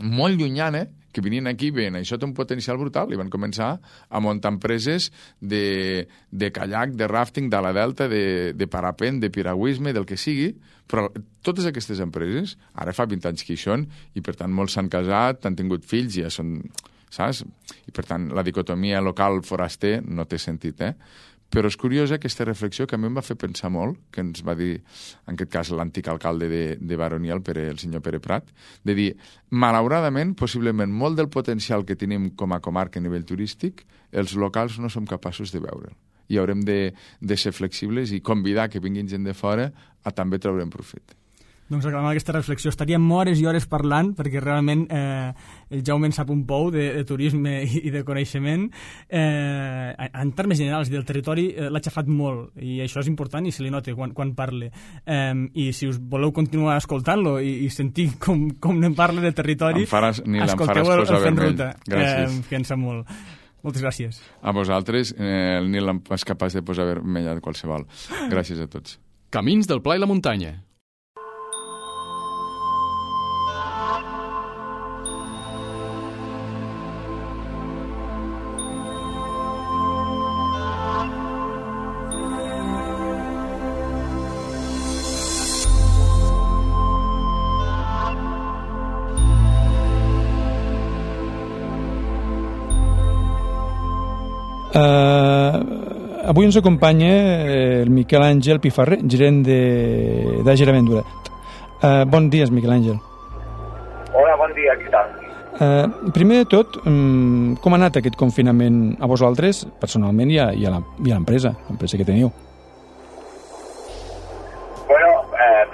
molt llunyana, que venien aquí, veien, això té un potencial brutal, i van començar a muntar empreses de kayak, de rafting, de la delta, de parapent, de piragüisme, del que sigui, però totes aquestes empreses, ara fa 20 anys que hi són, i per tant molts s'han casat, han tingut fills, ja són, saps? I per tant la dicotomia local-foraster no té sentit, Però és curiosa aquesta reflexió que a mi em va fer pensar molt, que ens va dir, en aquest cas, l'antic alcalde de Baronia, el senyor Pere Prat, de dir, malauradament, possiblement, molt del potencial que tenim com a comarca a nivell turístic, els locals no som capaços de veure'l. i haurem de ser flexibles i convidar que vinguin gent de fora a també treure'n profit. Doncs acabant aquesta reflexió, estaríem hores i hores parlant, perquè realment el Jaume en sap un pou de turisme i de coneixement. En termes generals del territori l'ha xafat molt, i això és important i se li nota quan parle. I si us voleu continuar escoltant-lo i sentir com en parla de territori, escolteu el Fent Ruta, que en sap molt. Moltes gràcies. A vosaltres, el Nil és capaç de posar vermella de qualsevol. Gràcies a tots. Camins del Pla i la Muntanya. Avui ens acompanya el Miquel Àngel Pifarré, gerent d'Àger Aventura. Bon dia, Miquel Àngel. Hola, bon dia, què tal? Primer de tot, com ha anat aquest confinament a vosaltres, personalment, i a l'empresa que teniu? Bueno,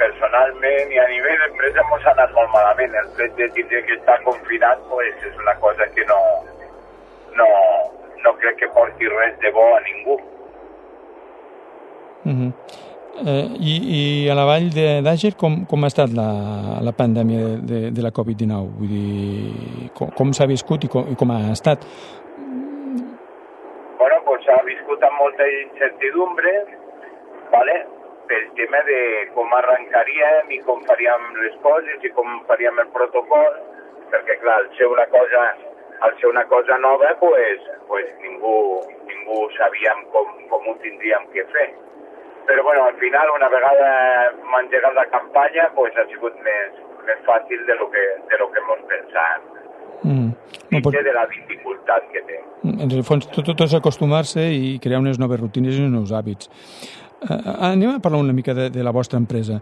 personalment i a nivell d'empresa ens ha anat molt malament. El fet de tindre que estar confinat pues, és una cosa que no crec que porti res de bo a ningú. I a la vall d'Àger com ha estat la pandèmia de la Covid-19? Vull dir, com s'ha viscut i com ha estat? Bueno, pues s'ha viscut amb molta incertidumbre, ¿vale? Pel tema de com arrencaríem i com faríem les coses i com faríem el protocol, perquè clar, al ser una cosa nova, pues ningú sabíem com ho tindríem que fer. Però bueno, al final, una vegada hem engegat la campanya, pues ha sigut més fàcil de lo que ens pensàvem. Dintre de la dificultat que té. En el fons, tot és acostumar-se i crear unes noves rutines i uns nous hàbits. Anem a parlar una mica de la vostra empresa.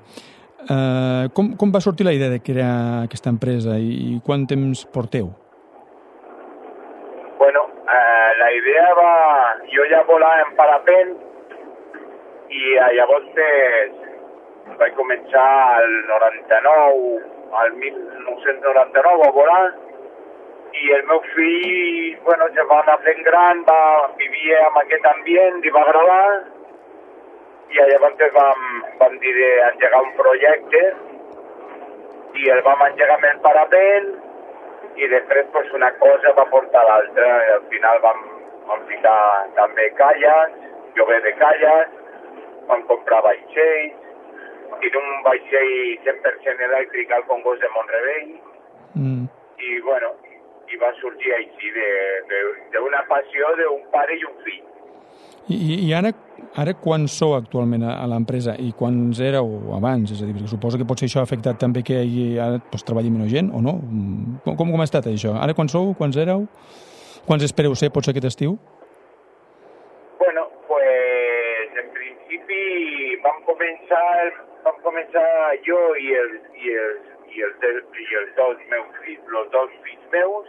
Com va sortir la idea de crear aquesta empresa i quant temps porteu? Bueno, la idea va... Jo ja volava en parapent i llavors vaig començar al 1999 a volar i el meu fill, bueno, ja va anar fent gran, vivia en aquest ambient i va agradar i llavors vam dir d'engegar un projecte i el vam engegar amb el parapent i després pues, una cosa va portar l'altra i al final vam ficar també caiacs, lloguer de caiacs, vam comprar vaixells, tinc un vaixell 100% elèctric al Congost de Mont-rebei i bueno, i va sorgir així d'una passió d'un pare i un fill. I ara quants sou actualment a l'empresa i quants éreu abans? És a dir, perquè suposo que potser això ha afectat també que ara treballi menys gent, o no? Com ha estat això? Ara quants sou? Quants éreu? Quants espereu ser potser aquest estiu? Bueno, pues en principi vam començar jo i els dos fills meus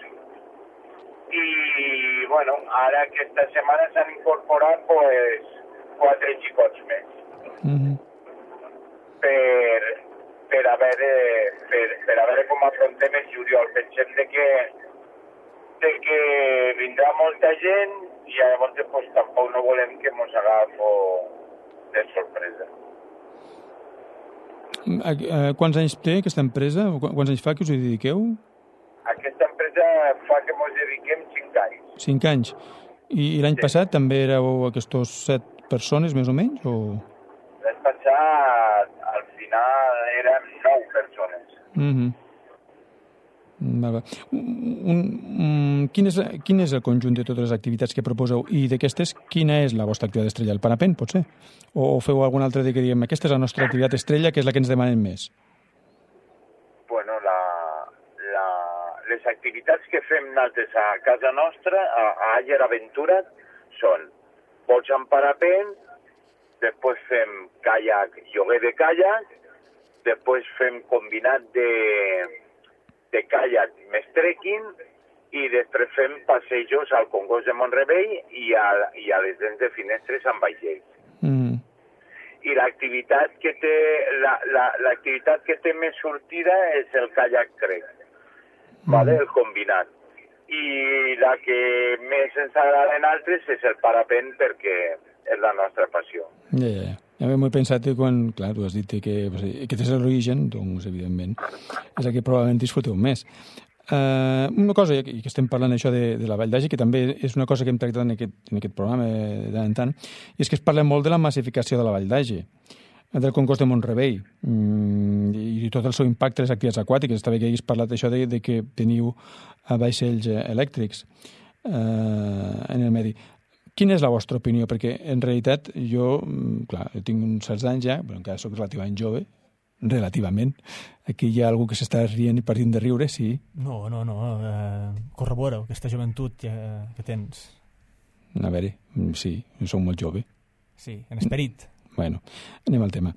i bueno, ara aquesta setmana s'han incorporat pues 4 xicots més per a veure com afrontem el juliol. Pensem de que vindrà molta gent i llavors pues, tampoc no volem que mos agafo de sorpresa. Quants anys té aquesta empresa? Quants anys fa que us hi dediqueu? Aquesta empresa fa que ens dediquem 5 anys. 5 anys. I l'any passat també éreu aquests 7 persones, més o menys? O... L'any passat, al final, érem 9 persones. Quin és el conjunt de totes les activitats que proposeu i d'aquestes, quina és la vostra activitat estrella? El parapent, potser? O feu alguna altra que diguem, aquesta és la nostra activitat estrella, que és la que ens demanen més? Bueno, les activitats que fem nosaltres a casa nostra, a Àger Aventura, són vols en parapent, després fem caiac, lloguer de caiac, després fem combinat de caiac més trekking i després fem passejos al Congost de Mont-rebei i a les dents de Finestres amb vaixells. I l'activitat que té l'activitat que té més sortida és el kayak trek, vale? El combinat. I la que més ens agrada en altres és el parapent perquè és la nostra passió. Ja. Ja m'he pensat que quan, clar, tu has dit que aquest és l'origen, doncs, evidentment, és el que probablement disfruteu més. Una cosa, i que estem parlant això de la Vall d'Agi, que també és una cosa que hem tractat en aquest programa de tant en tant, i és que es parla molt de la massificació de la Vall d'Agi, del Congost de Mont-rebei, i tot el seu impacte a les activitats aquàtiques. Està bé que haguis parlat d'això de que teniu vaixells elèctrics en el medi. Quina és la vostra opinió? Perquè, en realitat, jo tinc uns certs anys ja, però encara soc relativament jove, relativament. Aquí hi ha algú que s'està rient i partint de riure, sí? No, corrobora aquesta joventut que tens. A veure, sí, soc molt jove. Sí, en esperit. Bueno, anem al tema.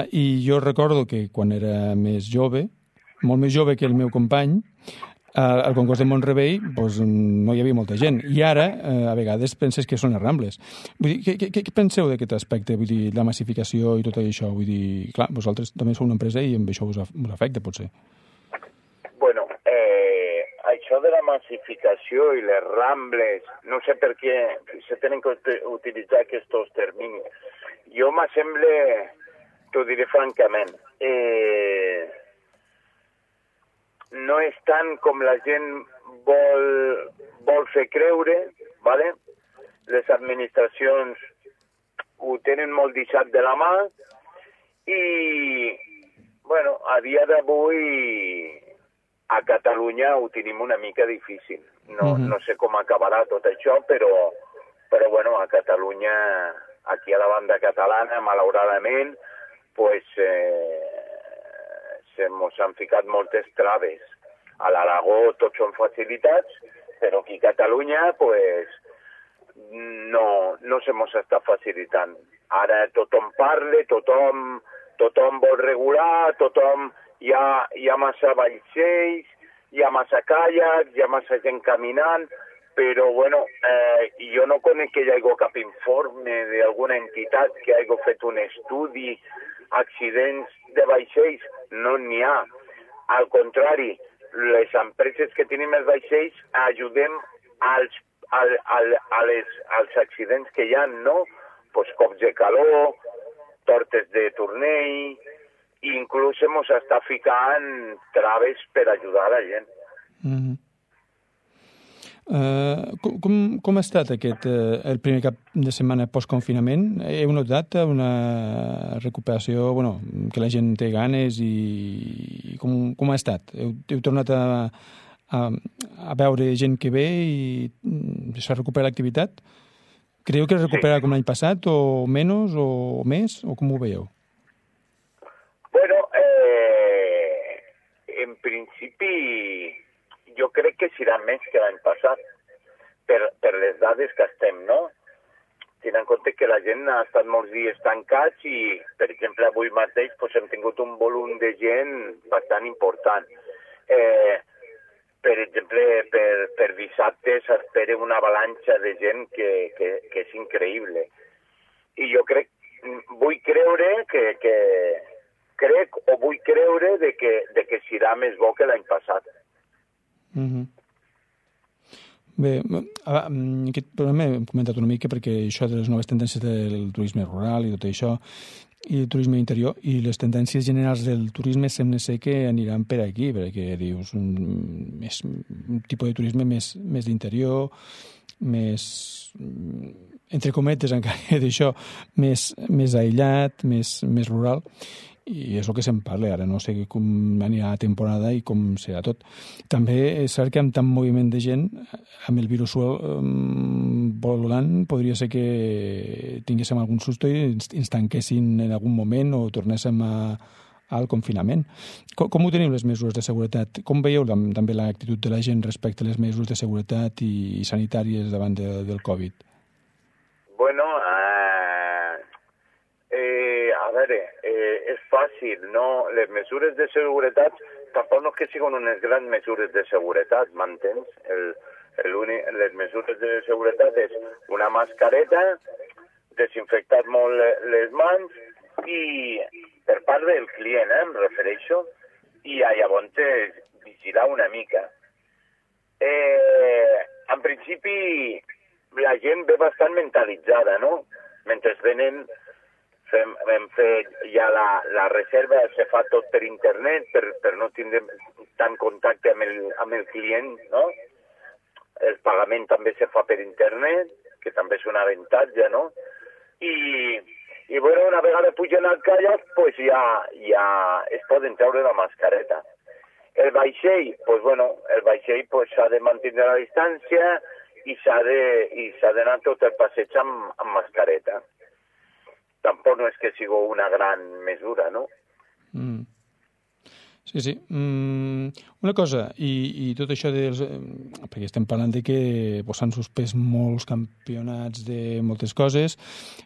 I jo recordo que quan era més jove, molt més jove que el meu company, al Congost de Mont-rebei doncs, no hi havia molta gent. I ara, a vegades, penses que són les Rambles. Vull dir, què penseu d'aquest aspecte? Vull dir, la massificació i tot això? Vull dir, clar, vosaltres també sou una empresa i amb això us afecta, potser. Bueno, això de la massificació i les Rambles, no sé per què se tenen que utilitzar aquests terminis. Jo m'assembla, t'ho diré francament, no és tant com la gent vol fer creure, ¿vale? Les administracions ho tenen molt deixat de la mà i, bueno, a dia d'avui a Catalunya ho tenim una mica difícil. No sé com acabarà tot això, però bueno, a Catalunya, aquí a la banda catalana, malauradament, pues se mos han ficat moltes traves. A l'Aragó tots són facilitats, però aquí a Catalunya pues, no se mos està facilitant. Ara tothom parla, tothom vol regular, hi ha massa vaixells, hi ha massa caiacs, hi ha massa gent caminant, però bueno, jo no conec que hi hagi cap informe d'alguna entitat que hagi fet un estudi accidents de vaixells, no n'hi ha. Al contrari, les empreses que tenim els vaixells ajudem als accidents que hi ha, no? Pues cops de calor, tortes de turnell, i inclús mos està ficant traves per ajudar la gent. Com ha estat el primer cap de setmana post-confinament? Heu notat una recuperació, que la gent té ganes i com ha estat? Heu tornat a veure gent que ve i s'ha recuperat l'activitat? Creieu que es recupera com l'any passat o menys o més o com ho veieu? Bueno, en principi jo crec que serà més que l'any passat, per les dades que estem, no? Tenint en compte que la gent ha estat molts dies tancats i, per exemple, avui mateix hem tingut un volum de gent bastant important. Per exemple, per dissabte s'espera una avalanxa de gent que és increïble. I jo vull creure que serà més bo que l'any passat. Bé, aquest programa hem comentat una mica perquè això de les noves tendències del turisme rural i tot això, i el turisme interior, i les tendències generals del turisme sembla ser que aniran per aquí, perquè dius un tipus de turisme més d'interior, més, entre cometes encara d'això, més aïllat, més rural, i és el que se'n parla ara, no sé com anirà la temporada i com serà tot. També és cert que amb tant moviment de gent, amb el virus volant, podria ser que tinguéssim algun susto i ens tanquessin en algun moment o tornéssim al confinament. Com ho teniu, les mesures de seguretat? Com veieu també l'actitud de la gent respecte a les mesures de seguretat i sanitàries davant del Covid? Bueno, a veure, és fàcil, no? Les mesures de seguretat tampoc no és que siguin unes grans mesures de seguretat, m'entens? Les mesures de seguretat és una mascareta, desinfectar molt les mans i per part del client, em refereixo, i llavors vigilar una mica. En principi, la gent ve bastant mentalitzada, no? Mentre venen, hem fet ja la reserva, se fa tot per internet, per no tindre tant contacte amb el client, no? El pagament també se fa per internet, que també és un avantatge, no? I bueno, una vegada pugen al caiac, pues ja es poden treure la mascareta. El vaixell, pues bueno, s'ha de mantenir la distància i s'ha d'anar tot el passeig amb mascareta. Tampoc no és que sigui una gran mesura, no? Sí. Una cosa, i tot això perquè estem parlant de que s'han suspès molts campionats de moltes coses.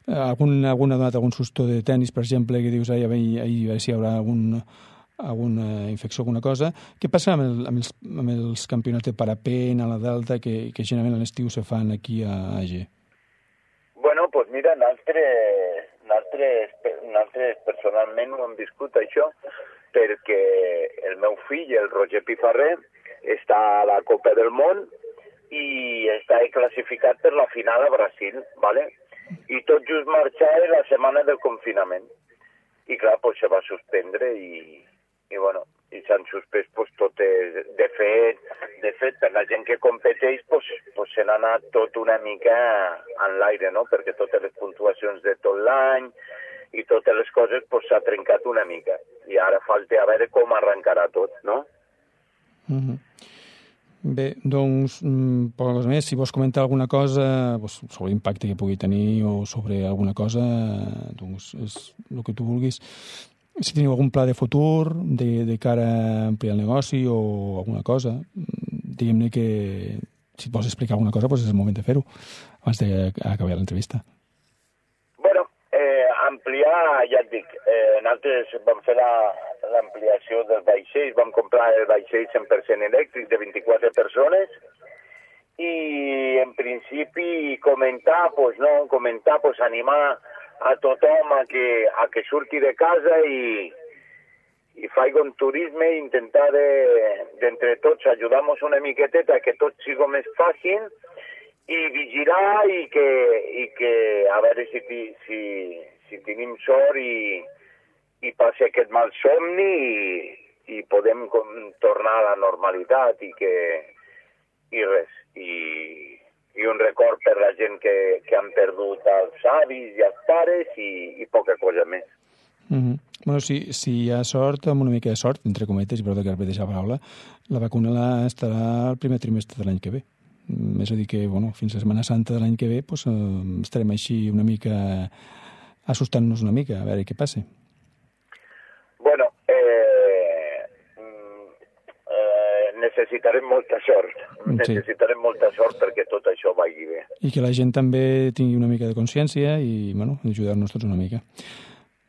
Algun ha donat algun susto de tennis, per exemple, que dius, a veure si hi haurà alguna infecció, alguna cosa. Què passa amb els campionats de parapent a la Delta, que generalment a l'estiu se fan aquí a AG? Bueno, doncs mira, nosaltres personalment ho hem viscut, això, perquè el meu fill, el Roger Pifarré, està a la Copa del Món i està classificat per la final a Brasil, ¿vale? I tot just marxava la setmana del confinament. I clar, pues se va suspendre i bueno, i s'han suspès pues, totes. De fet, per la gent que competeix, pues se n'ha anat tot una mica en l'aire, no? Perquè totes les puntuacions de tot l'any i totes les coses s'ha trencat una mica. I ara falta a veure com arrencarà tot, no? Bé, doncs, poca cosa més. Si vols comentar alguna cosa sobre l'impacte que pugui tenir o sobre alguna cosa, doncs és el que tu vulguis. Si teniu algun pla de futur de cara a ampliar el negoci o alguna cosa, diguem-ne que si et vols explicar alguna cosa, doncs és el moment de fer-ho abans d'acabar l'entrevista. Ampliar, ja et dic, nosaltres vam fer l'ampliació del vaixell, vam comprar el vaixell 100% elèctric de 24 persones i en principi comentar, animar a tothom a que surti de casa i faci un turisme i intentar d'entre tots ajudar-nos una miqueteta que tot sigui més fàcil i vigilar i que a veure si tenim sort i passi aquest mal somni i podem tornar a la normalitat i res. I un record per la gent que han perdut els avis i els pares i poca cosa més. Bueno, si hi ha sort, amb una mica de sort, entre cometes, i perdó que repeteixi la paraula, la vacuna estarà al primer trimestre de l'any que ve. És a dir que, bueno, fins a Setmana Santa de l'any que ve estarem així una mica assustant-nos una mica, a veure què passa. Bueno, necessitarem molta sort. Necessitarem molta sort perquè tot això vagi bé. I que la gent també tingui una mica de consciència i, bueno, ajudar-nos tots una mica.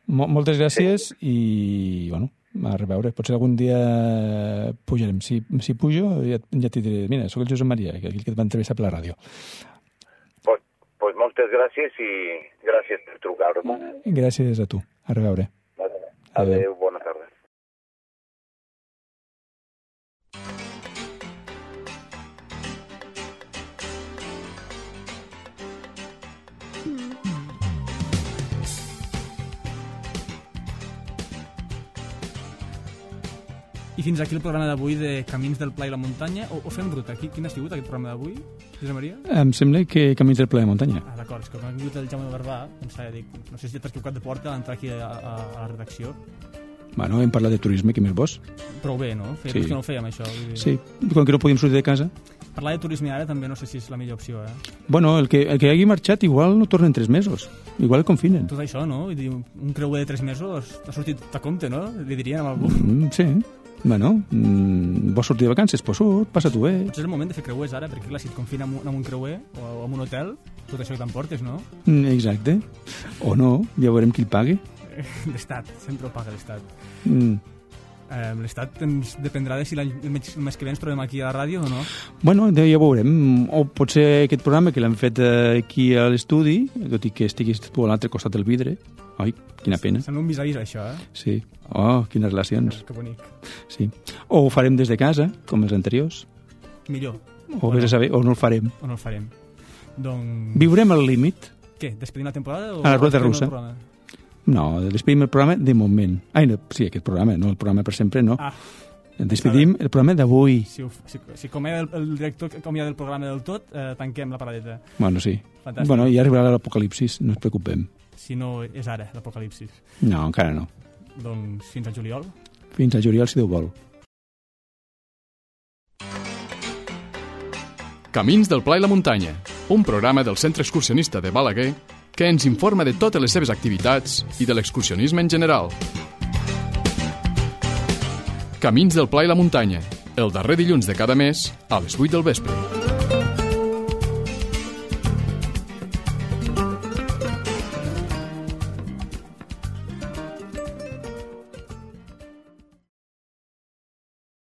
Moltes gràcies i, bueno, a reveure. Potser algun dia pujarem. Si pujo, ja t'hi diré, mira, soc el Josep Maria, aquell que et va entrevistar per la ràdio. Pues moltes gràcies i gràcies per trucar-me. Gràcies a tu. A reveure. Adéu, bona tarda. I fins aquí el programa d'avui de Camins del Pla i la Muntanya. O fem ruta? Quin ha sigut aquest programa d'avui, Josep Maria? Em sembla que Camins del Pla i la Muntanya. Ah, d'acord, és que quan ha vingut el Jaume Barbà, no sé si t'has equivocat de porta a l'entrar aquí a la redacció. Bueno, hem parlat de turisme, què més vols? Prou bé, no? Feia que no ho fèiem, això. Sí, quan que no podíem sortir de casa. Parlar de turisme ara també no sé si és la millor opció, Bueno, el que hagi marxat igual no torna en 3 mesos. Igual el confinen. Tot això, no? Vull dir, un creuer de 3 mesos ha sortit a compte, no? Li dirien a algú. Sí. Bueno, vols sortir de vacances? Pues surt, passa-t'ho bé. Potser és el moment de fer creuers ara, perquè clar, si et confina amb un creuer o amb un hotel, tot això que t'emportes, no? Exacte. O no, ja veurem qui el pagui. L'Estat, sempre ho paga l'Estat. L'estat ens dependrà de si el mes que ve ens trobem aquí a la ràdio o no. Bueno, ja veurem. O potser aquest programa que l'hem fet aquí a l'estudi, tot i que estiguis tu a l'altre costat del vidre. Ai, quina pena. Sembla un vis-a-vis, això, Sí. Oh, quines relacions. Que bonic. Sí. O ho farem des de casa, com els anteriors. Millor. O vés a saber, o no el farem. O no el farem. Doncs... Viurem al límit. Què? Despedim la temporada? O A la ruleta russa. el programa? No, despedim el programa de moment. Ai, no, sí, aquest programa, no, el programa per sempre, no. Ah. Despedim el programa d'avui. Si acomiada el director que acomiada el programa del tot, tanquem la paradeta. Bueno, sí. Fantàstic. Bueno, ja arribarà l'apocalipsis, no ens preocupem. Si no és ara, l'apocalipsis. No, encara no. Doncs fins al juliol. Fins a juliol, si Déu vol. Camins del Pla i la Muntanya, un programa del Centre Excursionista de Balaguer que ens informa de totes les seves activitats i de l'excursionisme en general. Camins del Pla i la Muntanya, el darrer dilluns de cada mes a les 8 del vespre.